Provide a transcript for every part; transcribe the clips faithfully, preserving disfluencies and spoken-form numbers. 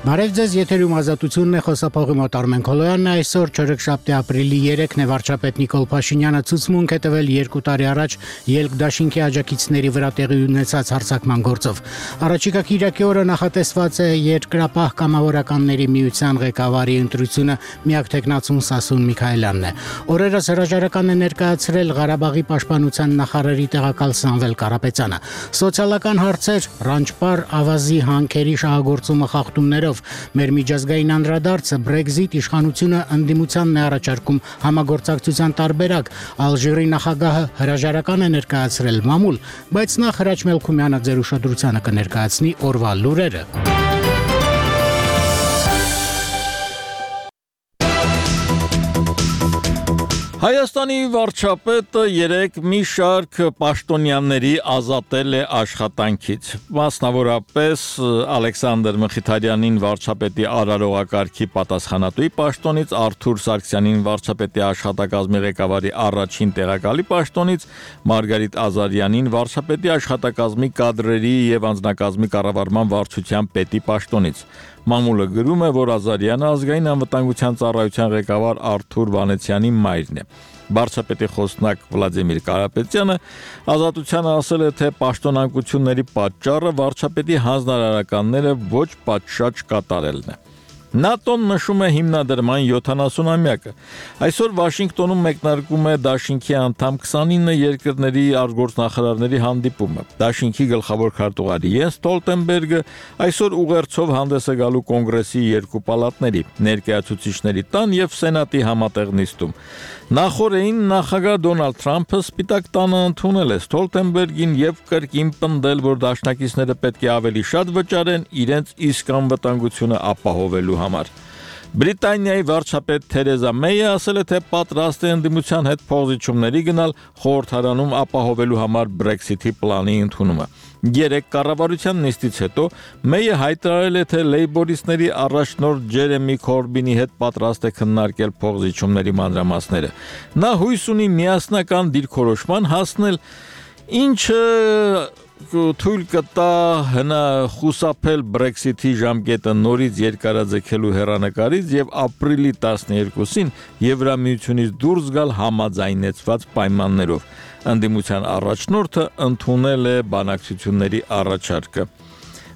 Բարև ձեզ, եթերում ազատությունն է, խոսափողի մոտ Արմեն Քոլոյանն է, այսօր չորեքշաբթի ապրիլի երեքն է, վարչապետ Նիկոլ Փաշինյանը ցուցմունք է տվել երկու տարի առաջ ելք դաշինքի աջակիցների վրա տեղի ունեցած հարձակման գործով։ Առաջիկա կիրակի օրը նախատեսված է Երկրապահ կամավորականների միության ղեկավարի ընտրությունը, միակ թեկնածուն Սասուն Միքայելյանն է։ Օրերս հրաժարական է ներկայացրել Ղարաբաղի պաշտպանության նախարարի տեղակալ Սամվել Կարապետյանը։ Սոցիալական հարցեր, Ռանջպար ավազի հանքերի շահագործումը խախտումներով Մեր միջազգային անդրադարձը Brexit իշխանությունը ընդդիմությանն է առաջարկում համագործակցության տարբերակ, Ալժիրի նախագահը հրաժարական է ներկայացրել մամուլ, բայց նախ Հրաչ Մելքումյանը ձեր ուշադրությանը կներկայացնի օրվա լուրերը։ Հայաստանի վարչապետը երեկ մի շարք պաշտոնյաների ազատել է աշխատանքից, մասնավորապես Ալեքսանդր Մխիթարյանին վարչապետի արարողակարգի պատասխանատուի պաշտոնից, Արթուր Սարգսյանին վարչապետի աշխատակազմի ղեկավարի առաջին տեղակալի պաշտոնից, Մարգարիտ Ազարյանին վարչապետի աշխատակազմի կադրերի և անձնակազմի կառավարման վարչության պետի պաշտոնից։ Մամուլը գրում է, որ Ազարյանը ազգային անվտանգության ծառայության ղեկավար Արթուր Վանեցյանի մայրն է։ Վարչապետի խոսնակ Վլադիմիր Կարապետյանը Ազատությանը ասել է, թե պաշտոնանկությունների պատճառը վարչապետի հանձնարարականները ոչ պատշաճ կատարելն է։ ՆԱՏՕ-ն նշում է հիմնադրման յոթանասունամյակը։ Այսօր Վաշինգտոնում մեկնարկում է Դաշինքի անդամ քսանինը երկրների արտգործնախարարների հանդիպումը։ Դաշինքի գլխավոր քարտուղար Յենս Ստոլտենբերգը այսօր ուղերձով հանդես է գալու կոնգրեսի երկու պալատների՝ ներկայացուցիչների տան և սենատի համատեղ նիստում։ Նախորդին նախագահ Դոնալդ Թրամփը Սպիտակ տանը ընդունել է Ստոլտենբերգին և կրկին պնդել, որ դաշնակիցները պետք է ավելի շատ վճարեն իրենց իսկ անվտանգությունը ապահովելու համար։ Բրիտանիայի վարչապետ Թերեզա Մեյը ասել է, թե պատրաստ է ընդդիմության հետ փոխզիջումների գնալ խորհրդարանում ապահովելու համար Brexit-ի պլանի ընդունումը։ Երեք կառավարության նիստից հետո Մեյը հայտարարել է, թե լեյբորիստների առաջնորդ Ջերեմի Քորբինի հետ պատրաստ է քննարկել փոխզիջումների մանրամասները։ Նա հույս ունի միասնական դիրքորոշման հասնել, ինչը թույլ կտա հնա խուսափել Brexit-ի ժամկետը նորից երկարաձգելու հեռանկարից և ապրիլի տասներկուսին Եվրամիությունից դուրս գալ համաձայնեցված պայմաններով։ Ընդդիմության առաջնորդը ընդունել է բանակցությունների առաջարկը։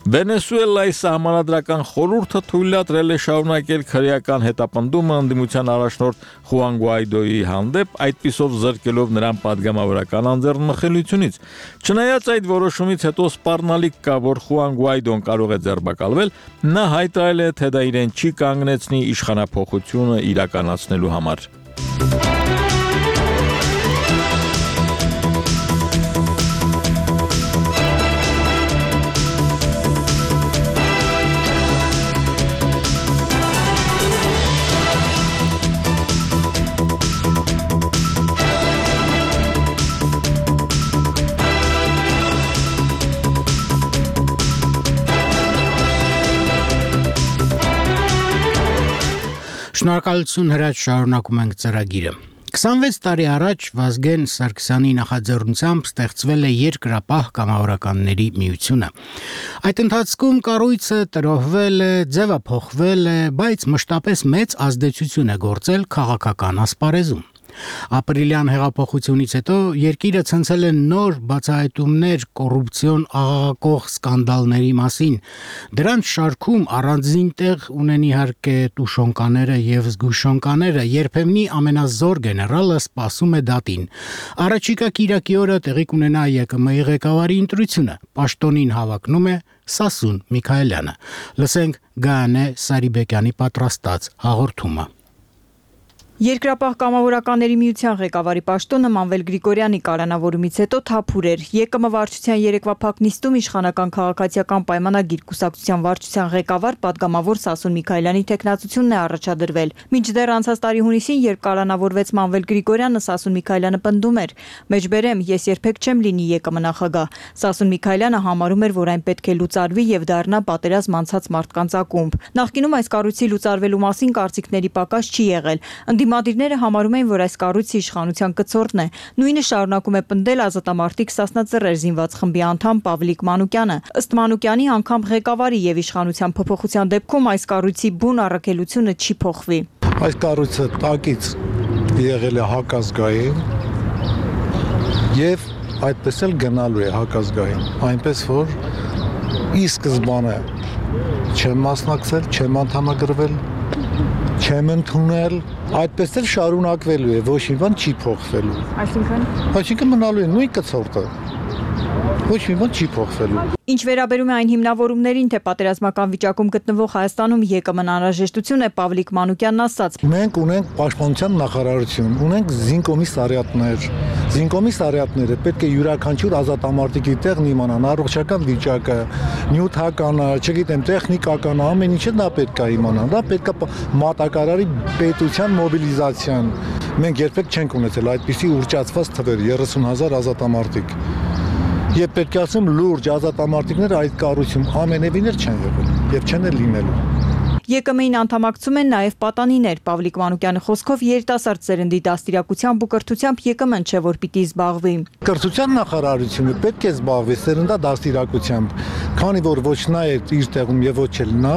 Վենեսուելայի սահմանադրական խորհուրդը թույլատրել է շարունակել քրեական հետապնդումը ընդդիմության առաջնորդ Խուան Գուայդոյի հանդեպ, այդպիսով զրկելով նրան պատգամավորական անձեռնմխելիությունից։ Չնայած այդ որոշումից հետո սպառնալիք կա, որ Խուան Գուայդոն կարող է ձերբակալվել, նա հայտարարել է, թե դա իրեն չի կանգնեցնի իշխանափոխությունը իրականացնելու համար։ Շնորհակալություն Հրաչ, շարունակում ենք ծրագիրը։ քսանվեց տարի առաջ Վազգեն Սարգսյանի նախաձեռնությամբ ստեղծվել է Երկրապահ կամավորականների միությունը։ Այդ ընթացքում կառույցը տրոհվել է, ձևափոխվել է, բայց մշտապես մեծ ազդեցություն է գործել քաղաքական ասպարեզում։ Ապրիլյան հեղափոխությունից հետո երկիրը ցնցել է նոր բացահայտումներ կոռուպցիոն աղաղակող սկանդալների մասին։ Դրանց շարքում առանձին տեղ ունեն իհարկե Տուշոնկաները և Զգուշոնկաները, երբեմնի ամենազոր գեներալը սպասում է դատին։ Առաջիկա կիրակի օրը տեղի կունենա ԵԿՄ-ի ղեկավարի ընտրությունը։ Պաշտոնին հավակնում է Սասուն Միքայելյանը։ Լսենք Գայանե Սարիբեկյանի պատրաստած հաղորդումը։ Երկրապահ կամավորականների միության ղեկավարի պաշտոնը Մանվել Գրիգորյանի կալանավորումից հետո թափուր էր։ ԵԿՄ վարչության երեկվա փակ նիստում իշխանական քաղաքացիական պայմանագիր կուսակցության վարչության ղեկավար պատգամավոր Սասուն Միքայելյանի թեկնածությունն է առաջադրվել։ Մինչդեռ անցած տարի հունիսին, երբ կալանավորվեց Մանվել Գրիգորյանը, Սասուն Միքայելյանը պնդում էր. «Մեջբերեմ, ես երբեք չեմ լինի ԵԿՄ նախագահ»։ Սասուն Միքայելյանը համարում էր, որ այն պետք է լուծարվի եւ դառնա պատերազմ անցած մարդկանց ակումբ։ Նախկինում այս կառույցի լուծարվելու մասին կարծիքների պակաս չի եղել։ Ընդդիմադիրները համարում են, որ այս կառույցը իշխանության կցորդն է։ Նույնը շարունակում է պնդել ազատամարտիկ Սասնաձեռեր զինված խմբի անդամ Պավլիկ Մանուկյանը։ Ըստ Մանուկյանի, անգամ ղեկավարի եւ իշխանության փոփոխության դեպքում այս կառույցի բուն առաքելությունը չի փոխվի։ Այս կառույցը տակից եղել է հակազգային եւ այդպես էլ գնալու է հակազգային, այնպես որ ի սկզբանե չեմ մասնակցել, չեմ անդամագրվել, չեմ ընդունել, այդպես էլ շարունակվելու է, ոչ մի բան չի փոխվելու։ Այսինքն Այսինքն մնալու է նույն կցորդը։ Ոչ մի բան չի փոխվելու։ Ինչ վերաբերում է այն հիմնավորումներին, թե պատերազմական վիճակում գտնվող Հայաստանում ԵԿՄ-ն անհրաժեշտություն է, Պավլիկ Մանուկյանն ասաց. Մենք ունենք պաշտպանության նախարարություն, ունենք զինկոմիսարիատներ։ Զինկոմիսարիատները պետք է յուրաքանչյուր ազատամարտիկի տեղն իմանան առողջական վիճակը, նյութականը, չգիտեմ, տեխնիկականը, ամեն ինչը դա պետք է իմանան։ Դա պետք է մատակարարի պետության մոբիլիզացիան։ Մենք երբեք չենք ունեցել այդպիսի ուռճացված թվեր երեսուն հազար ազատամարտիկ։ Եվ պետք է ասեմ, լուրջ ազատամարտիկները այդ կառույցում ամենևին էլ չեն եղել եւ չեն էլ լինելու։ ԵԿՄ-ին անդամակցում են նաև պատանիներ։ Պավլիկ Մանուկյանի խոսքով երիտասարդ սերնդի դաստիարակությամբ ու կրթությամբ ԵԿՄ-ն չէ, որ պիտի զբաղվի։ Կրթության նախարարությունը պետք է զբաղվի սերնդա դաստիարակությամբ, քանի որ ոչ նա է իր տեղում եւ ոչ էլ նա,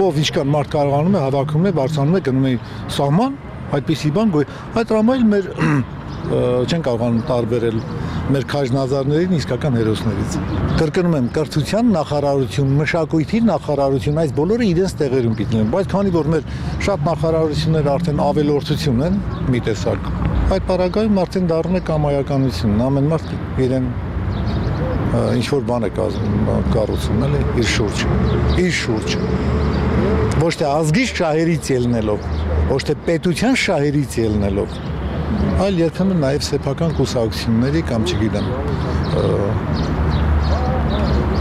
ով ինչքան մարդ կարողանում է հավաքում է, բարձրանում է, գնում է սահման, այդպիսի բան գոյ։ Այդ ռամայել մեր չեն կարողանում տարբերել մեր քաջնազարներին իսկական հերոսներից։ Կրկնում եմ, կրթության նախարարություն, մշակույթի նախարարություն, այս բոլորը իրենց տեղերում պիտի լինեն, բայց քանի որ մեր շատ նախարարություններ արդեն ավելորդություն են մի տեսակ, այդ պարագայում արդեն դառնում է կամայականություն, ամեն մարդ իրեն ինչ որ բան է կառուցում, էլի, իր շուրջ, իր շուրջ։ Ոչ թե ազգի շահերից ելնելով, ոչ թե պետության շահերից ելնելով, այլ երբեմն նաև սեփական կուսակցությունների կամ չգիտեմ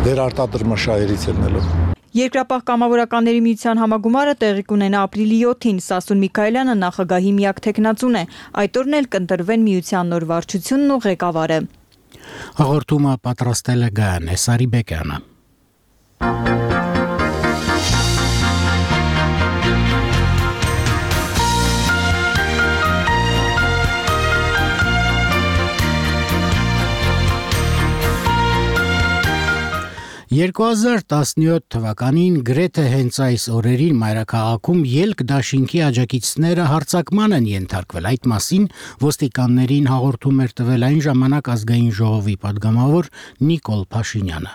վերարտադրմաշահերից ելնելով։ Երկրապահ կամավորականների միության համագումարը տեղի կունենա ապրիլի յոթին, Սասուն Միքայելյանը նախագահի միակ թեկնածուն է։ Այդ օրն էլ կընտրվեն միության նոր վարչությունն ու ղեկավարը։ Հաղորդումը պատրաստել է Գայանե Սարիբեկյանը։ երկու հազար տասնյոթ թվականին գրեթե հենց այս օրերին մայրաքաղաքում ելք դաշինքի աջակիցները հարձակման են ենթարկվել։ Այդ մասին ոստիկաններին հաղորդում էր տվել այն ժամանակ ազգային ժողովի падգամավոր Նիկոլ Փաշինյանը։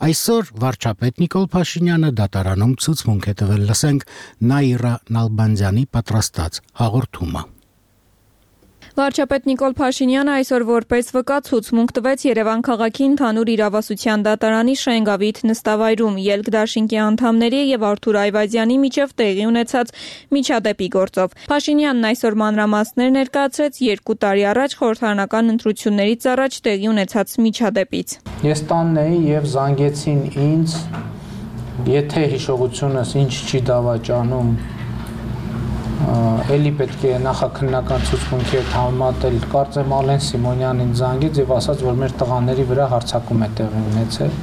Այսօր վարչապետ Նիկոլ Փաշինյանը դատարանում ցուցմունք է տվել, լսենք Նաիրա Նալբանդյանի պատրաստած հաղորդումը։ Վարչապետ Նիկոլ Փաշինյանը այսօր որպես վկա ցուցմունք տվեց Երևան քաղաքի ընդհանուր իրավասության դատարանի Շենգավիթ նստավայրում ելք դաշինքի անդամների եւ Արթուր Այվազյանի միջև տեղի ունեցած միջադեպի գործով։ Փաշինյանն այսօր մանրամասներ ներկայացրեց երկու տարի առաջ խորհրդարանական ընտրություններից առաջ տեղի ունեցած միջադեպից։ Ես տանն էի եւ զանգեցին ինձ, եթե հիշողությունս ինչ չի դավաճանում, Էլի պետք է նախաքննական ցուցմունքի հետ համեմատել, կարծեմ Ալեն Սիմոնյանին զանգեց եւ ասաց, որ մեր տղաների վրա հարձակում է տեղի ունեցել։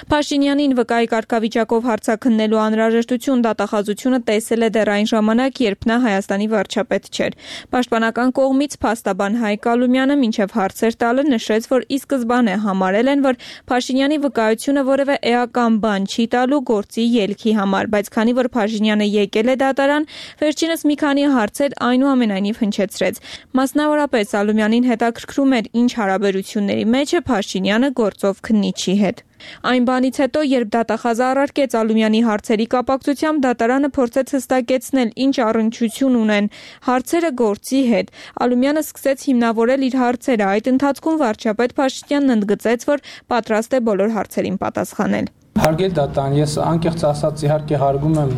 Փաշինյանին վկայի կարգավիճակով հարձակնելու անհրաժեշտություն դատախազությունը տեսել է դեռ այն ժամանակ, երբ նա Հայաստանի վարչապետ չէր։ Պաշտպանական կողմից փաստաբան Հայկ Ալումյանը մինչև հարցեր տալը նշեց, որ ի սկզբանե համարել են, որ Փաշինյանի վկայությունը որևէ էական բան չի տալու գործի ելքի համար, բայց քանի որ Փաշինյանը եկել է դատարան, վերջինս մի քանի հարցեր այնուամենայնիվ հնչեցրեց։ Մասնավորապես Ալումյանին հետաքրքրում էր, ինչ հարաբերությունների մեջ է Փաշինյանը գործով քննիչի հետ։ Այն բանից հետո, երբ դատախազը առարկեց Ալումյանի հարցերի կապակցությամբ, դատարանը փորձեց հստակեցնել, ինչ առնչություն ունեն հարցերը գործի հետ։ Ալումյանը սկսեց հիմնավորել իր հարցերը։ Այդ ընթացքում վարչապետ Փաշինյանն ընդգծեց, որ պատրաստ է բոլոր հարցերին պատասխանել։ Հարգել դատարան, ես անկեղծ ասած իհարկե հարգում եմ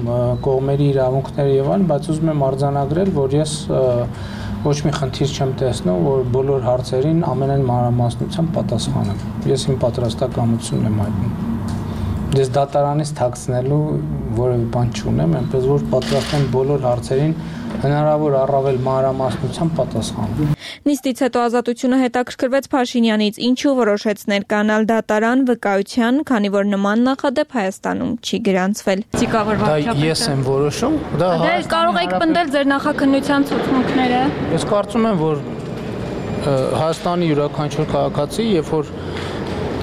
կողմերի իրավունքները եւ այլն, բայց ուզում եմ արձանագրել, որ ես ոչ մի խնդիր չեմ տեսնում, որ բոլոր հարցերին ամենայն մանրամասնությամբ պատասխանեմ։ Ես իմ պատրաստակամությունն եմ հայտնում։ Ես դատարանից թաքցնելու որևէ բան չունեմ, այնպես որ պատրաստ եմ բոլոր հարցերին հնարավոր առավել մանրամասնությամբ պատասխանել։ Նիստից հետո Ազատությունը հետաքրքրվեց Փաշինյանից, ինչու որոշեց ներկանալ դատարան վկայության, քանի որ նման նախադեպ Հայաստանում չի գրանցվել։ Դա ես եմ որոշում, դա կարող եք պնդել ձեր նախաքննության ցուցմունքները։ Ես կարծում եմ, որ Հայաստանի յուրաքանչյուր քաղաքացի, երբ որ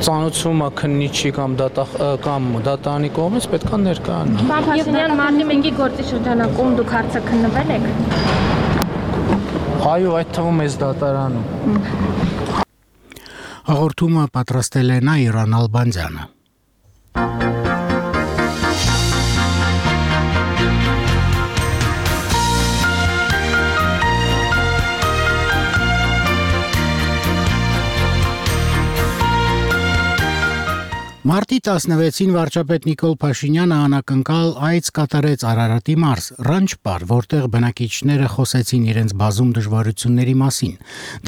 ծանոթում է քննիչի կամ կամ դատարանի կողմից պետք է ներկայանա։ Փաշինյան մարտի մեկի գործի շրջանակում դուք հարցը քննվել եք։ Այո, այդ թվում էս դատարանում։ Հաղորդումը պատրաստել է Նաիրա Նալբանդյանը։ Մարտի տասնվեցին վարչապետ Նիկոլ Փաշինյանը անակնկալ այց կատարեց Արարատի մարզ, Ռանչպար, որտեղ բնակիչները խոսեցին իրենց բազում դժվարությունների մասին։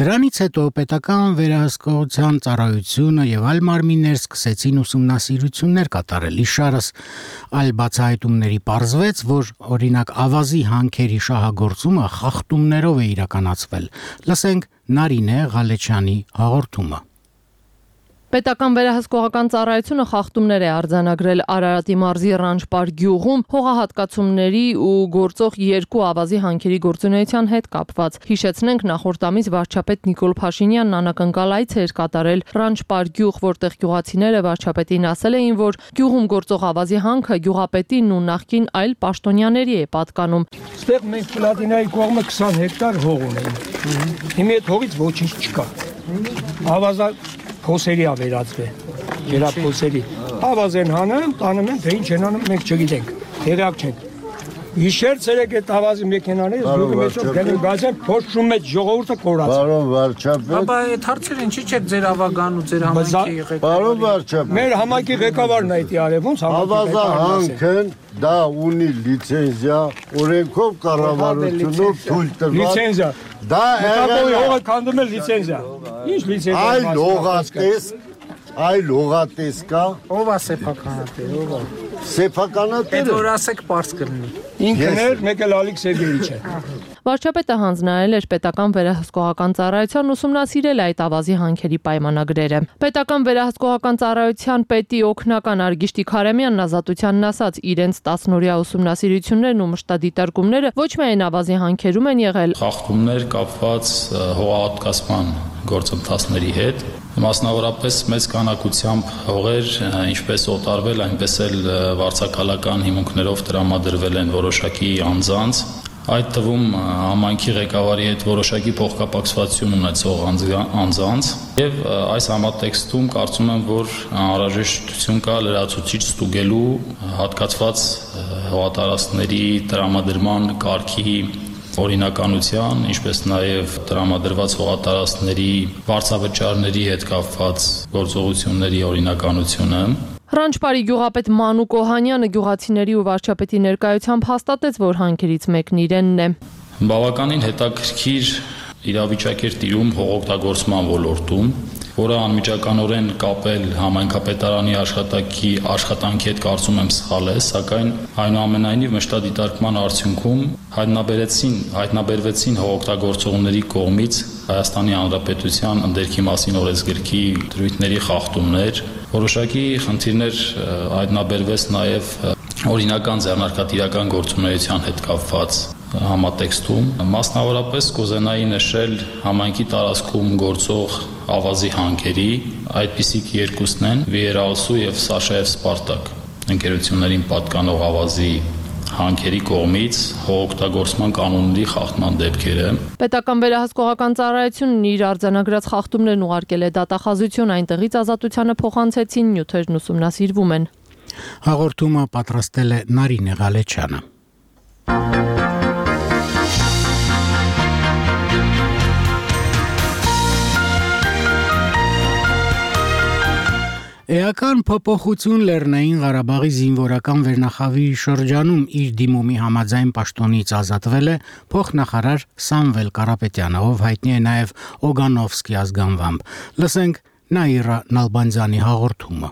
Դրանից հետո պետական վերահսկողության ծառայությունը եւ այլ մարմիններ սկսեցին ուսումնասիրություններ կատարել։ Իշարս այլ բացահայտումների պարզվեց, որ օրինակ ավազի հանքերի շահագործումը խախտումներով է իրականացվել։ Լսենք Նարինե Ղալեչյանի հաղորդումը։ Պետական վերահսկողական ծառայությունը խախտումներ է արձանագրել Արարատի մարզի Ռանչպար գյուղում հողահատկացումների ու գործող երկու ավազի հանքերի գործունեության հետ կապված։ Հիշեցնենք, նախորդ ամիս վարչապետ Նիկոլ Փաշինյանն անակնկալ այց էր կատարել Ռանչպար գյուղ, որտեղ գյուղացիները վարչապետին ասել էին, որ գյուղում գործող ավազի հանքը գյուղապետին ու նախկին այլ պաշտոնյաների է պատկանում։ Ստեղ մենք Պլատինայի կողմը քսան հեկտար հող ունենք։ Հիմա այդ հողից ոչինչ չկա։ Ավազա փոսերի ա վերածվել, գերափոսերի։ Ավազեն հանում, տանում են, թե ինչ են անում, մենք չգիտենք, տեղյակ չենք։ Հիշեր ցերեկ այդ ավազի մեքենաները զուգը մեջով գնում գազեն, փոշում մեջ ժողովուրդը կորած։ Պարոն վարչապետ։ Բաբա այդ հարցերը ինչի՞ չէ ձեր ավագան ու ձեր համայնքի ղեկավարը։ Պարոն վարչապետ։ Մեր համայնքի ղեկավարն է դա արել, ոնց ավազա հանքն դա ունի լիցենզիա, օրենքով կառավարությունով թույլ տրված։ Լիցենզիա։ Դա եղել հողը քանդում է լիցենզիա։ Ինչ լիցենզիա։ Այլ հողատես, այլ հողատես կա։ Ով է սեփականատեր, ով է։ Սեփականատերը։ Այդ որ ասեք པարզ կլինի։ Ինքն էր, մեկ էլ Ալիք Սերգեյիչը։ Վարչապետը հանձնարարել էր պետական վերահսկողական ծառայության ուսումնասիրել այդ ավազի հանքերի պայմանագրերը։ Պետական վերահսկողական ծառայության պետի օգնական Արգիշտի Քարամյանն Ազատությանն ասաց, իրենց տասնօրյա ուսումնասիրություններն ու մշտադիտարկումները ոչ միայն ավազի հանքերում են եղել, խախտումներ կապված հողահատկացման գործընթացների հետ, մասնավորապես մեծ քանակությամբ հողեր ինչպես օտարվել, այնպես էլ վարձակալական հիմունքներով տրամադրվել են որոշակի անձանց, այդ թվում համայնքի ղեկավարի հետ որոշակի փոխկապակցություն ունեցող անձանց եւ այս համատեքստում կարծում եմ, որ անհրաժեշտություն կա լրացուցիչ ստուգելու հատկացված հողատարածքների տրամադրման կարգի օրինականության, ինչպես նաև տրամադրված հողատարածքների վարձավճարների հետ կապված գործողությունների օրինականությունը։ Ռանչպարի գյուղապետ Մանուկ Օհանյանը գյուղացիների ու վարչապետի ներկայությամբ հաստատեց, որ հանքերից մեկն իրենն է։ Բավականին հետաքրքիր իրավիճակ էր տիրում հողօգտագործման ոլորտում, որը անմիջականորեն կապել համայնքապետարանի աշխատակի աշխատանքի հետ կարծում եմ սխալ է, սակայն այնուամենայնիվ մշտադիտարկման արդյունքում հայտնաբերեցին, հայտնաբերվեցին հողօգտագործողների կողմից Հայաստանի Հանրապետության ընդերքի մասին օրենսգրքի դրույթների խախտումներ, որոշակի խնդիրներ հայտնաբերվեց նաև օրինական ձեռնարկատիրական գործունեության հետ կապված համատեքստում, մասնավորապես կուզենայի նշել համայնքի տարածքում գործող ավազի հանքերի, այդպիսիք երկուսն են Վիերալսու եւ Սաշաև Սպարտակ ընկերություններին պատկանող ավազի հանքերի կողմից հողօգտագործման կանոնների խախտման դեպքերը։ Պետական վերահսկողական ծառայությունն իր արձանագրած խախտումներն ուղարկել է դատախազություն, այնտեղից Ազատությանը փոխանցեցին, նյութերն ուսումնասիրվում են։ Հաղորդումը պատրաստել է Նարինե Ղալեչյանը։ Էական փոփոխություն Լեռնային Ղարաբաղի զինվորական վերնախավի շրջանում իր դիմումի համաձայն պաշտոնից ազատվել է փոխնախարար Սամվել Կարապետյանը, ով հայտնի է նաև Օգանովսկի ազգանվամբ։ Լսենք Նաիրա Նալբանդյանի հաղորդումը։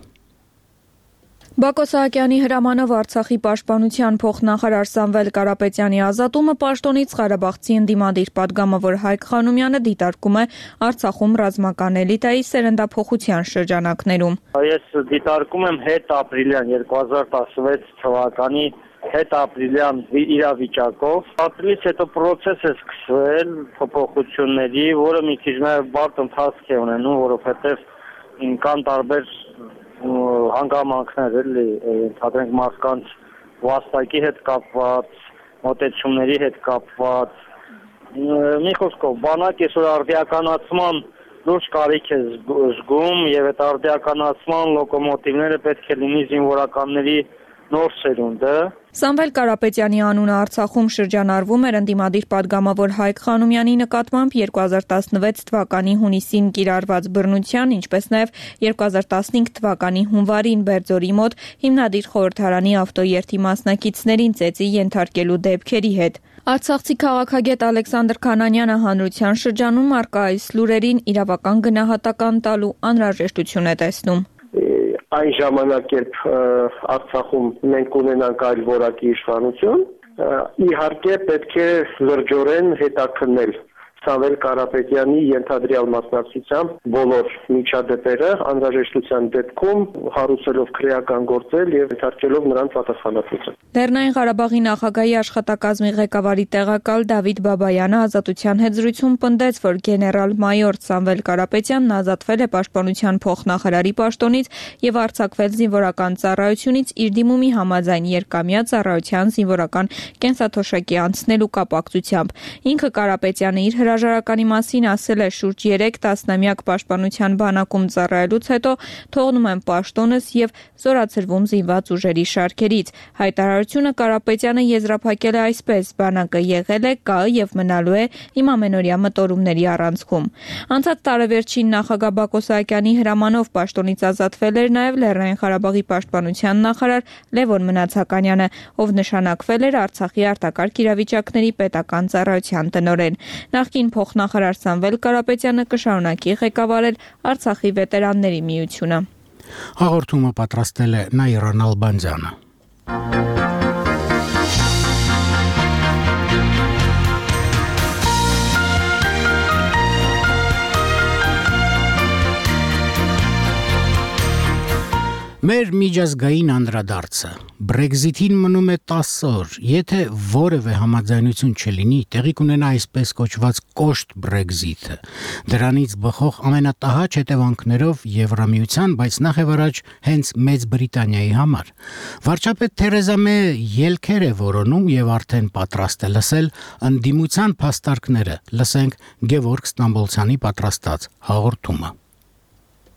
Բակո Սահակյանի հրամանով Արցախի պաշտպանության փոխնախարար Սամվել Կարապետյանի ազատումը պաշտոնից Ղարաբաղցի ընդդիմադիր պատգամավոր Հայկ Խանոմյանը դիտարկում է Արցախում ռազմական էլիտայի սերնդափոխության շրջանակներում։ Ես դիտարկում եմ հետ ապրիլյան երկու հազար տասնվեց թվականի հետ ապրիլյան իրավիճակով։ Ապրիլից հետո process է սկսվել փոփոխությունների, որը մի քիչ նաև բարդ ընթացք է ունենում, որովհետև կան տարբեր հանգամանքներ էլի, ընդհանրենք մարդկանց վաստակի հետ կապված, մոտեցումների հետ կապված, մի խոսքով, բանակ այսօր արդիականացման լուրջ կարիք է զգում եւ այդ արդիականացման լոկոմոտիվները պետք է լինի զինվորականների նոր սերունդը։ Սամվել Կարապետյանի անունը Արցախում շրջանառվում էր ընդդիմադիր պատգամավոր Հայկ Խանոմյանի նկատմամբ երկու հազար տասնվեց թվականի հունիսին կիրառված բռնության, ինչպես նաև երկու հազար տասնհինգ թվականի հունվարին Բերձորի մոտ հիմնադիր խորհրդարանի ավտոերթի մասնակիցներին ծեծի ենթարկելու դեպքերի հետ։ Արցախցի քաղաքագետ Ալեքսանդր Քանանյանը հանրության շրջանում առկա այս լուրերին իրավական գնահատական տալու անհրաժեշտություն է տեսնում։ Այն ժամանակ, երբ Արցախում մենք ունենանք այլ որակի իշխանություն, իհարկե պետք է լրջորեն հետաքննել Սամվել Կարապետյանի ենթադրյալ մասնակցությամբ բոլոր միջադեպերը անհրաժեշտության դեպքում հարուցելով քրեական գործել եւ ենթարկելով նրան պատասխանատվություն։ Լեռնային Ղարաբաղի նախագահի աշխատակազմի ղեկավարի տեղակալ Դավիթ Բաբայանը ազատության հետ զրույցում պնդեց, որ գեներալ-մայոր Սամվել Կարապետյանն ազատվել է պաշտպանության փոխնախարարի պաշտոնից եւ արձակվել զինվորական ծառայությունից իր դիմումի համաձայն երկամյա ծառայության զինվորական կենսաթոշակի անցնելու կապակցությամբ։ Ինքը Կարապետյանը իր հրաժարականի մասին ասել է շուրջ երեք տասնամյակ պաշտպանության բանակում ծառայելուց հետո թողնում եմ պաշտոնս եւ զորացրվում զինված ուժերի շարքերից։ Հայտարարությունը Կարապետյանը եզրափակել է այսպես. բանակը եղել է, կա եւ մնալու է իմ ամենօրյա մտորումների առանցքում։ Անցած տարեվերջին նախագահ Բակո Սահակյանի հրամանով պաշտոնից ազատվել էր նաեւ Լեռնային Ղարաբաղի պաշտպանության նախարար Լևոն Մնացականյանը, ով նշանակվել էր Արցախի արտակարգ իրավիճակների պետական ծառայության տնօրեն։ Նախկին փոխնախարար Սամվել Կարապետյանը կշարունակի ղեկավարել Արցախի վետերանների միությունը։ Հաղորդումը պատրաստել է Նաիրան Ալբանդյանը։ Մեր միջազգային անդրադարձը Brexit-ին մնում է տասը օր, եթե որևէ համաձայնություն չլինի, տեղի կունենա այսպես կոչված կոշտ Brexit-ը։ Դրանից բխող ամենատահաճ հետևանքներով Եվրամիության, բայց նախևառաջ հենց Մեծ Բրիտանիայի համար։ Վարչապետ Թերեզա Մեյը ելքեր է որոնում եւ արդեն պատրաստ է լսել ընդդիմության փաստարկները։ Լսենք Գևորգ Ստամբոլցյանի պատրաստած հաղորդումը։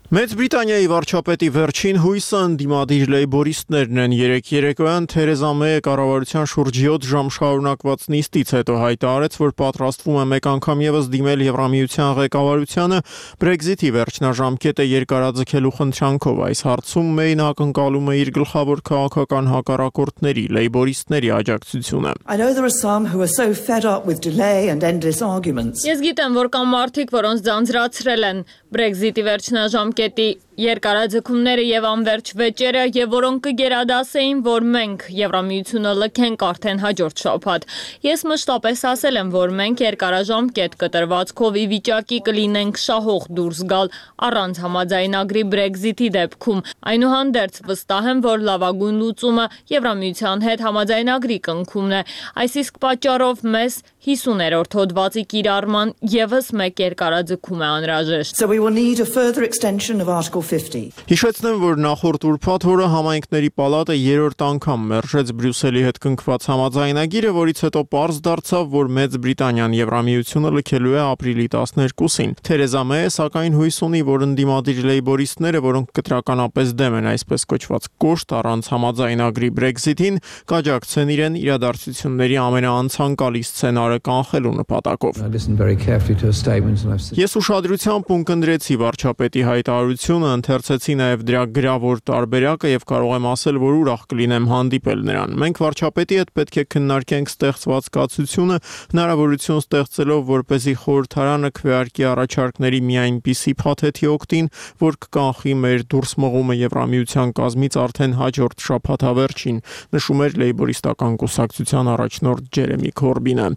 Մեծ Բրիտանիայի վարչապետի վերջին հույսը ընդդիմադիր լեյբորիստներն են։ Երեկ երեկոյան Թերեզա Մեյը կառավարության շուրջ յոթ ժամ շարունակված նիստից հետո հայտարարեց, որ պատրաստվում է մեկ անգամ եւս դիմել Եվրամիության ղեկավարությանը Brexit-ի վերջնաժամկետը երկարաձգելու խնդրանքով։ Այս հարցում Մեյն ակնկալում է իր գլխավոր քաղաքական հակառակորդների լեյբորիստների աջակցությունը։ Ես գիտեմ, որ կան մարդիկ, որոնց ձանձրացրել են Brexit-ի վերջնաժամկետի երկարաձգումները եւ անverջ վեճերը եւ որոնք կգերադասեին, որ մենք Եվրամիությունը լքենք արդեն հաջորդ շաբաթ։ Ես մշտապես ասել եմ, որ մենք երկարաժամկետ կտրվածքով ի վիճակի կլինենք շահող դուրս գալ առանց համաձայնագրի Brexit-ի դեպքում։ Այնուհանդերձ վստահ եմ, որ լավագույն լուծումը Եվրամիության հետ համաձայնագրի կնքումն է։ Այս իսկ պատճառով մեզ հիսուներորդ հոդվածի կիրառման եւս մեկ երկարաձգում է անհրաժեշտ։ So we will need a further extension of Article fifty. Հիշեցնեմ, որ նախորդ ուրբաթ օրը համայնքների պալատը երրորդ անգամ մերժեց Բրյուսելի հետ կնքված համաձայնագիրը, որից հետո պարզ դարձավ, որ Մեծ Բրիտանիան Եվրամիությունը լքելու է ապրիլի տասներկուսին։ Թերեզա Մեյը սակայն հույս ունի, որ ընդդիմադիր լեյբորիստները, որոնք կտրականապես դեմ են այսպես կոչված կոշտ առանց համաձայնագրի Brexit-ին, կաջակցեն իրեն իրադարձությունների ամենաանցանկալի սցենարը կանխելու նպատակով։ Ես ուշադրությամբ ունկնդրեցի վարչապետի հայտարարությունը ընթերցեցի նաև դրա գրավոր տարբերակը եւ կարող եմ ասել, որ ուրախ կլինեմ հանդիպել նրան։ Մենք վարչապետի հետ պետք է քննարկենք ստեղծված կացությունը, հնարավորություն ստեղծելով, որպեսզի խորհրդարանը քվեարկի առաջարկների մի այնպիսի փաթեթի օգտին, որ կկանխի մեր դուրս մղումը Եվրամիության կազմից արդեն հաջորդ շաբաթավերջին, նշում էր լեյբորիստական կուսակցության առաջնորդ Ջերեմի Քորբինը։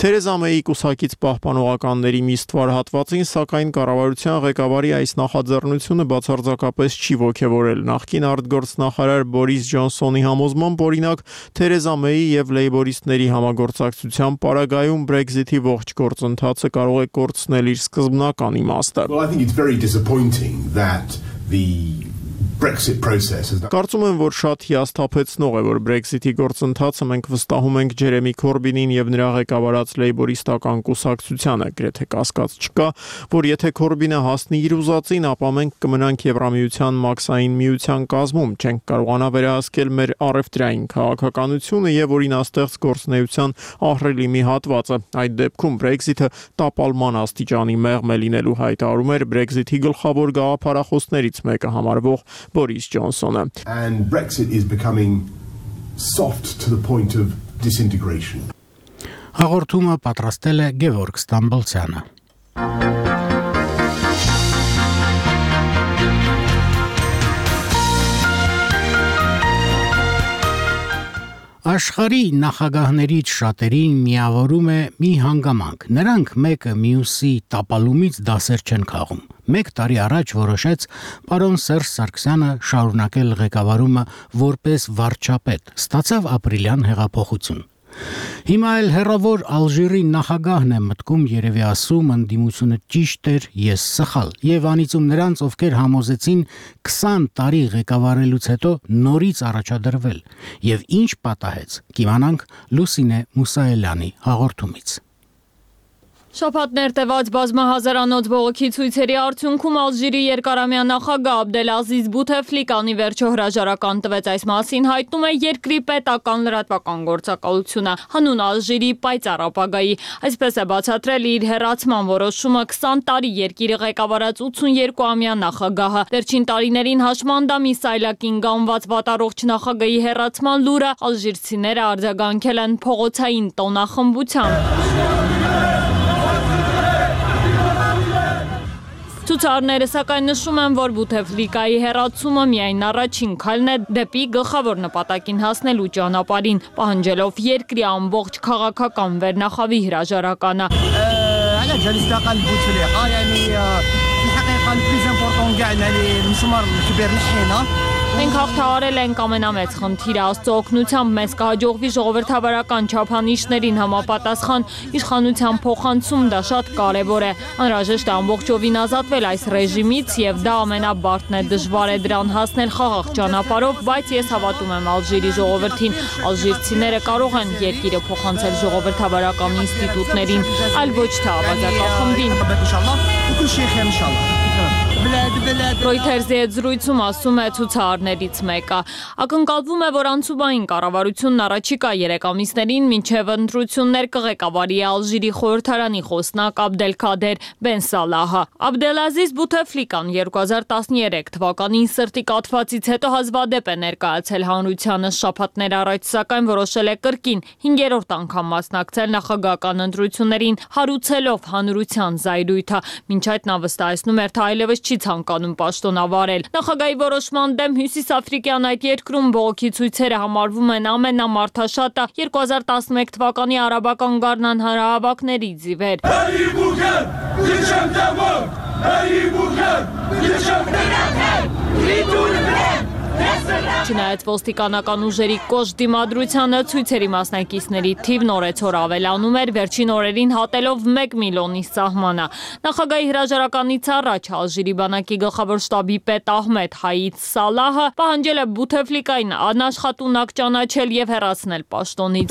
Թերեզա Մեյի կուսակից պահպանողականների մի ստվար հատվածին, սակայն կառավարության ղեկավարի այս նախաձեռնությունը բացարձակապես չի ոգևորել։ Նախկին արտգործնախարար Բորիս Ջոնսոնի համոզմամբ, օրինակ, Թերեզա Մեյի եւ լեյբորիստների համագործակցության պարագայում Brexit-ի ողջ գործընթացը կարող է կորցնել իր սկզբնական իմաստը։ Well, I think it's very disappointing that the Brexit process is that... Կարծում եմ, որ շատ հիասթափեցնող է, որ Brexit-ի գործընթացը մենք վստահում ենք Ջերեմի Քորբինին եւ նրա ղեկավարած լեյբորիստական կուսակցությանը, գրեթե կասկած չկա, որ եթե Քորբինը հասնի իր ուզածին, ապա մենք կմնանք Եվրամիության մաքսային միության կազմում, չենք կարողանա վերահսկել մեր առևտրային քաղաքականությունը եւ օրինաստեղծ գործնեության ահռելի մի հատվածը։ Այդ դեպքում Brexit-ը տապալման աստիճանի մեղմ է լինելու, հայտարարում էր Brexit-ի գլխավոր գաղափարախոսներից մեկը համարվող Boris Johnsonը։ And Brexit is becoming soft to the point of disintegration. Հաղորդումը պատրաստել է Գևորգ Ստամբոլցյանը։ Աշխարհի նախագահներից շատերին միավորում է մի հանգամանք։ Նրանք մեկը մյուսի տապալումից դասեր չեն քաղում։ Մեկ տարի առաջ որոշեց պարոն Սերժ Սարգսյանը շարունակել ղեկավարումը որպես վարչապետ, ստացավ ապրիլյան հեղափոխություն։ Հիմա էլ հերավոր Ալժիրի նախագահն է մտքում երևի ասում ընդդիմությունը ճիշտ էր, ես սխալ, եւ անիծում նրանց, ովքեր համոզեցին քսան տարի ղեկավարելուց հետո նորից առաջադրվել, եւ ինչ պատահեց, կիմանանք Լուսինե Մուսայելյանի հաղորդումից։ Շաբաթներ տևած բազմահազարանոց բողոքի ցույցերի արդյունքում Ալժիրի երկարամյա նախագահ Աբդելազիզ Բութեֆլիկանի վերջո հրաժարական տվեց, այս մասին հայտնում է երկրի պետական լրատվական գործակալությունը հանուն Ալժիրի պայծառ ապագայի։ Այսպես է բացատրել իր հեռացման որոշումը քսան տարի երկիրը ղեկավարած ութսուներկուամյա նախագահը։ Վերջին տարիներին հաշմանդամի սայլակին գանված վատառողջ նախագահի հեռացման լուրը ալժիրցիները արձագանքել են փողոցային տոնախմբությամբ։ Ցուցարները սակայն նշում են, որ Բութեֆլիկայի հեռացումը միայն առաջին քայլն է դեպի գլխավոր նպատակին հասնելու ճանապարհին, պահանջելով երկրի ամբողջ քաղաքական վերնախավի հրաժարականը։ Մենք հաղթահարել ենք ամենամեծ խնդիրը, Աստծո օգնությամբ մեզ կհաջողվի ժողովրդավարական չափանիշներին համապատասխան իշխանության փոխանցում, դա շատ կարևոր է։ Անհրաժեշտ է ամբողջովին ազատվել այս ռեժիմից եւ դա ամենաբարդն է, դժվար է դրան հասնել խաղաղ ճանապարհով, բայց ես հավատում եմ Ալժիրի ժողովրդին։ Ալժիրցիները կարող են երկիրը փոխանցել ժողովրդավարական ինստիտուտներին, այլ ոչ թե ավազակախմբին։ Ռոյթերզի հետ զրույցում ասում է ցուցարարներից մեկը։ Ակնկալվում է, որ անցուբային կառավարությունն առաջիկա երեք ամիսներին մինչև ընտրություններ կղեկավարի Ալժիրի խորհրդարանի խոսնակ Աբդելքադեր Բեն Սալահը։ Աբդելազիզ Բութեֆլիկան երկու հազար տասներեք թվականին սրտի կաթվածից հետո հազվադեպ է ներկայացել հանրությանը, շաբաթներ առաջ սակայն որոշել է կրկին հինգերորդ անգամ մասնակցել նախագահական ընտրություններին, հարուցելով հանրության զայրույթը։ Մինչ այդ նա վստահեցնում էր, թե այլևս չի ցանկանում պաշտոնավարել։ Նախագահի որոշման դեմ հյուսիսաֆրիկյան այդ երկրում բողոքի ցույցերը համարվում են ամենամարդաշատը երկու հազար տասնմեկ թվականի արաբական գարնան հանրահավաքներից ի վեր։ Չնայած ոստիկանական ուժերի կոշտ դիմադրությանը ցույցերի մասնակիցների թիվն օրեցօր ավելանում էր, վերջին օրերին հատելով մեկ միլիոնի սահմանը։ Նախագահի հրաժարականից առաջ Ալժիրի բանակի գլխավոր շտաբի պետ Ահմեդ Հայիդ Սալահը պահանջել է Բութեֆլիկային անաշխատունակ ճանաչել եւ հեռացնել պաշտոնից։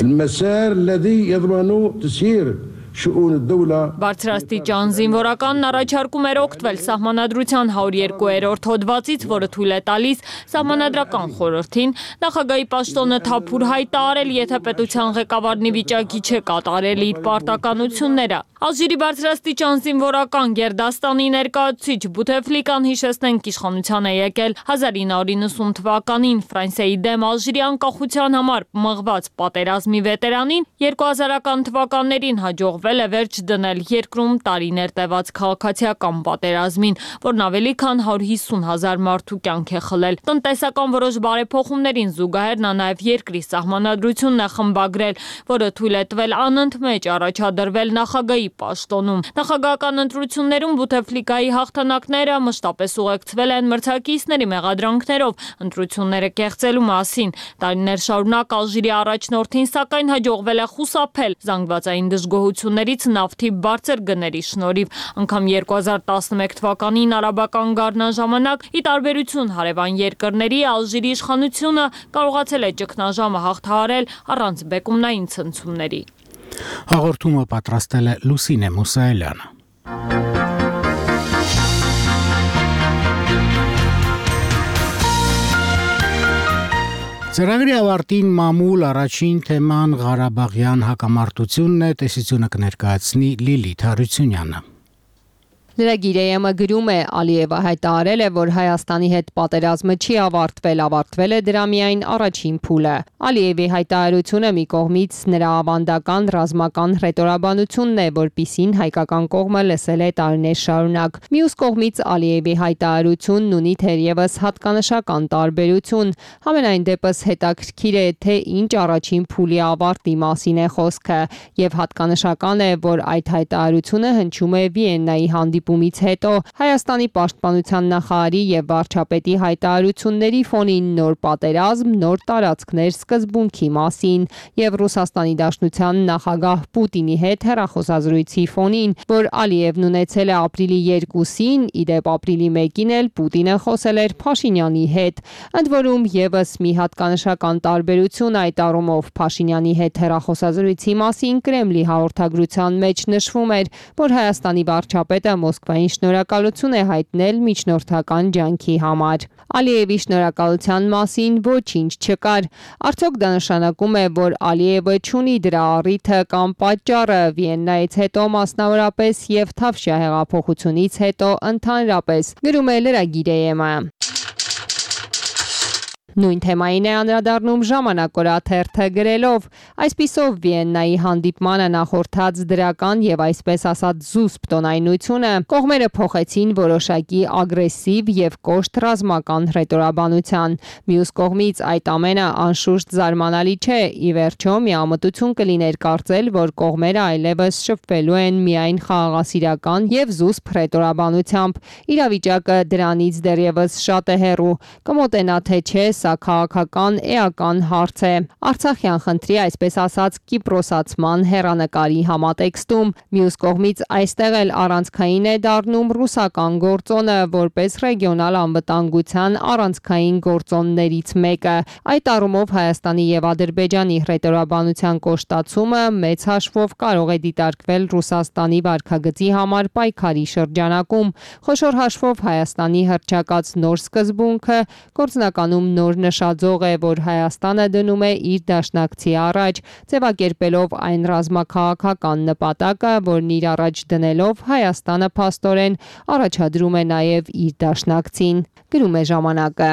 شؤون الدولة. Բարձրաստիճան զինվորականն առաջարկում էր օգտվել սահմանադրության հարյուրերորդ հոդվածից, որը թույլ է տալիս սահմանադրական խորհրդին նախագահի պաշտոնը թափուր հայտարարել, եթե պետության ղեկավարն ի վիճակի չէ կատարել իր պարտականությունները։ Ալժիրի բարձրաստիճան զինվորական Գերդաստանի ներկայացուցիչ Բութեֆլիկան հիշեցնենք իշխանության է եկել հազար ինը հարյուր իննսուն թվականին Ֆրանսիայի դեմ Ալժիրի անկախության համար մղված պատերազմի վետերանին երկու հազարական թվականներին հաջողվել է վերջ դնել երկրում տարիներ տևած քաղաքացիական պատերազմին, որն ավելի քան հարյուր հիսուն հազար մարդու կյանք է խլել։ Տնտեսական որոշ բարեփոխումներին զուգահեռ նա նաև երկրի սահմանադրությունն է խմբագրել, որը թույլ է տվել անընդմեջ առաջադրվել նախագահի պաշտոնում։ Նախագահական ընտրություններում Բութեֆլիկայի հաղթանակները մշտապես ուղեկցվել են մրցակիցների մեղադրանքներով ընտրությունները կեղծելու մասին։ Տարիներ շարունակ Ալժիրի առաջնորդին սակայն հաջողվել է խուսափել զանգվածային դժգոհություններից նավթի բարձր գների շնորհիվ։ Անգամ երկու հազար տասնմեկ թվականին արաբական գարնան ժամանակ, ի տարբերություն հարևան երկրների, Ալժիրի իշխանությունը կարողացել է ճգնաժամը հաղթահարել առանց բեկումնային ցնցումների։ Հաղորդումը պատրաստել է Լուսինե Մուսայելյանը։ Ծրագրի ավարտին մամուլ առաջին թեման Ղարաբաղյան հակամարտությունն է, տեսությունը կներկայացնի Լիլիթ Հարությունյանը։ Լրագիրը գրում է Ալիևը հայտարարել է, որ Հայաստանի հետ պատերազմը չի ավարտվել, ավարտվել է դրա միայն առաջին փուլը։ Ալիևի հայտարարությունը մի կողմից նրա ավանդական ռազմական հռետորաբանությունն է, որպիսին հայկական կողմը լսել է տարիներ շարունակ։ Մյուս կողմից Ալիևի հայտարարությունն ունի թերևս հատկանշական տարբերություն։ Համենայն դեպս հետաքրքիր է, թե ինչ առաջին փուլի ավարտի մասին է խոսքը, եւ հատկանշական է, որ այդ հայտարարությունը հնչում է Վիեննայի հանդիպումից հետո Հայաստանի պաշտպանության նախարարի եւ վարչապետի հայտարարությունների ֆոնին նոր պատերազմ, նոր տարածքներ սկզբունքի մասին եւ Ռուսաստանի Դաշնության նախագահ Պուտինի հետ հեռախոսազրույցի ֆոնին, որ Ալիևն ունեցել է ապրիլի երկուսին, իդեպ ապրիլի մեկին էլ Պուտինը խոսել էր Փաշինյանի հետ։ Ընդ որում եւս մի հատկանշական տարբերություն այդ առումով Փաշինյանի հետ հեռախոսազրույցի մասին Կրեմլի հաղորդագրության մեջ նշվում էր, որ Հայաստանի վարչապետը Մոսկվային շնորհակալություն է հայտնել միջնորդական ջանքի համար։ Ալիևի շնորհակալության մասին ոչինչ չկար։ Արդյոք դա նշանակում է, որ Ալիևը չունի դրա առիթը կամ պատճառը Վիեննայից հետո մասնավորապես եւ Թավշյա հեղափոխությունից հետո ընդհանրապես, գրում է լրագիրը։ Նույն թեմային է անդրադառնում Ժամանակ օրաթերթը գրելով. այսպիսով Վիեննայի հանդիպմանը նախորդած դրական եւ այսպես ասած զուսպ տոնայնությունը կողմերը փոխեցին որոշակի ագրեսիվ եւ կոշտ ռազմական հռետորաբանության։ Մյուս կողմից այդ ամենը անշուշտ զարմանալի չէ, ի վերջո միամտություն կլիներ կարծել, որ կողմերը այլևս շփվելու են միայն խաղաղասիրական եւ զուսպ հռետորաբանությամբ։ Իրավիճակը դրանից դեռևս շատ է հեռու։ Կմոտենա թե չէ, սա քաղաքական էական հարց է։ Արցախյան խնդրի այսպես ասած կիպրոսացման հեռանկարի համատեքստում մյուս կողմից այստեղ էլ առանցքային է դառնում ռուսական գործոնը որպես ռեգիոնալ անվտանգության առանցքային գործոններից մեկը։ Այդ առումով Հայաստանի եւ Ադրբեջանի հռետորաբանության կոշտացումը մեծ հաշվով կարող է դիտարկվել Ռուսաստանի վարքագծի համար պայքարի շրջանակում։ Խոշոր հաշվով Հայաստանի հռչակած նոր սկզբունքը գործնականում նոր նշաձող է, որ Հայաստանը դնում է իր դաշնակցի առաջ, ձևակերպելով այն ռազմաքաղաքական նպատակը, որն իր առաջ դնելով Հայաստանը փաստորեն առաջադրում է նաև իր դաշնակցին, գրում է Ժամանակը։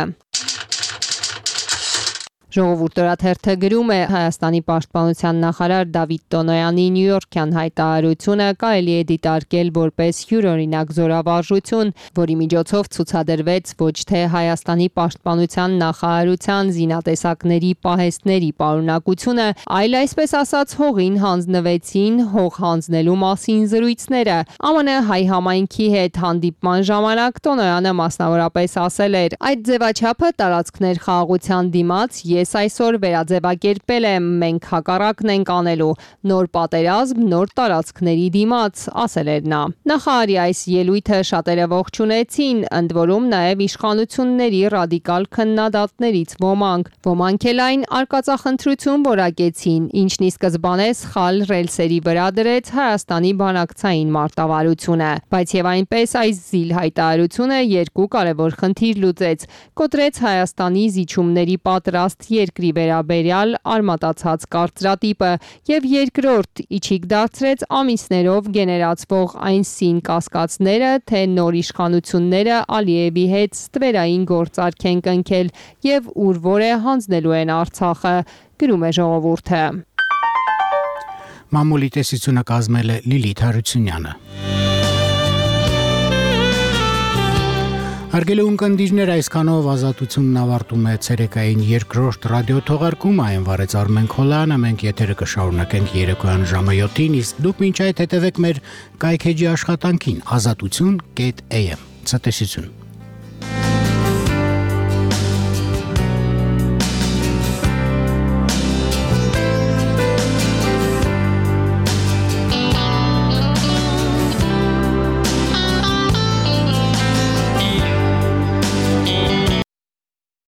Ժողովուրդ օրաթերթը գրում է Հայաստանի պաշտպանության նախարար Դավիթ Տոնոյանի նյույորքյան հայտարարությունը կարելի է դիտարկել որպես յուրօրինակ զորավարժություն, որի միջոցով ցուցադրվեց ոչ թե Հայաստանի պաշտպանության նախարարության զինատեսակների պահեստների պարունակությունը, այլ այսպես ասած հողին հանձնվեցին հող հանձնելու մասին զրույցները։ ԱՄՆ հայ համայնքի հետ հանդիպման ժամանակ Տոնոյանը մասնավորապես ասել էր. այդ ձևաչափը տարածքներ խաղաղության դիմաց ես այսօր վերաձևակերպել եմ, մենք հակառակն ենք անելու, նոր պատերազմ, նոր տարածքների դիմաց, ասել էր նա։ Նախարարի այս ելույթը շատերը ողջունեցին, ընդ որում նաև իշխանությունների ռադիկալ քննադատներից ոմանք։ Ոմանք էլ այն արկածախնդրություն որակեցին, ինչն ի սկզբանե սխալ ռելսերի վրա դրեց Հայաստանի բանակցային մարտավարությունը, բայց եւ այնպես այս զիլ հայտարարությունը երկու կարևոր խնդիր լուծեց, կոտրեց Հայաստանի զիջումների պատրաստ երկրի վերաբերյալ արմատացած կարծրատիպը եւ երկրորդ իջիկ դարձրեց ամիսներով գեներացվող այն սին կասկածները, թե նոր իշխանությունները Ալիևի հետ ստվերային գործարք են կնքել եւ ուր որ է հանձնելու են Արցախը, գրում է ժողովուրդը։ Մամուլի տեսությունը կազմել է Լիլիթ Հարությունյանը։ Հարգելի ունկնդիրներ, այսքանով ազատությունն ավարտում է ցերեկային երկրորդ ռադիոթողարկումը, այն վարեց Արմեն Քոլյանը, մենք եթերը կշարունակենք երեկոյան ժամը յոթին, իսկ դուք մինչ այդ հետևեք մեր կայքեջի աշխատանքին ազատություն կետ էյ էմ։ Ցտեսություն։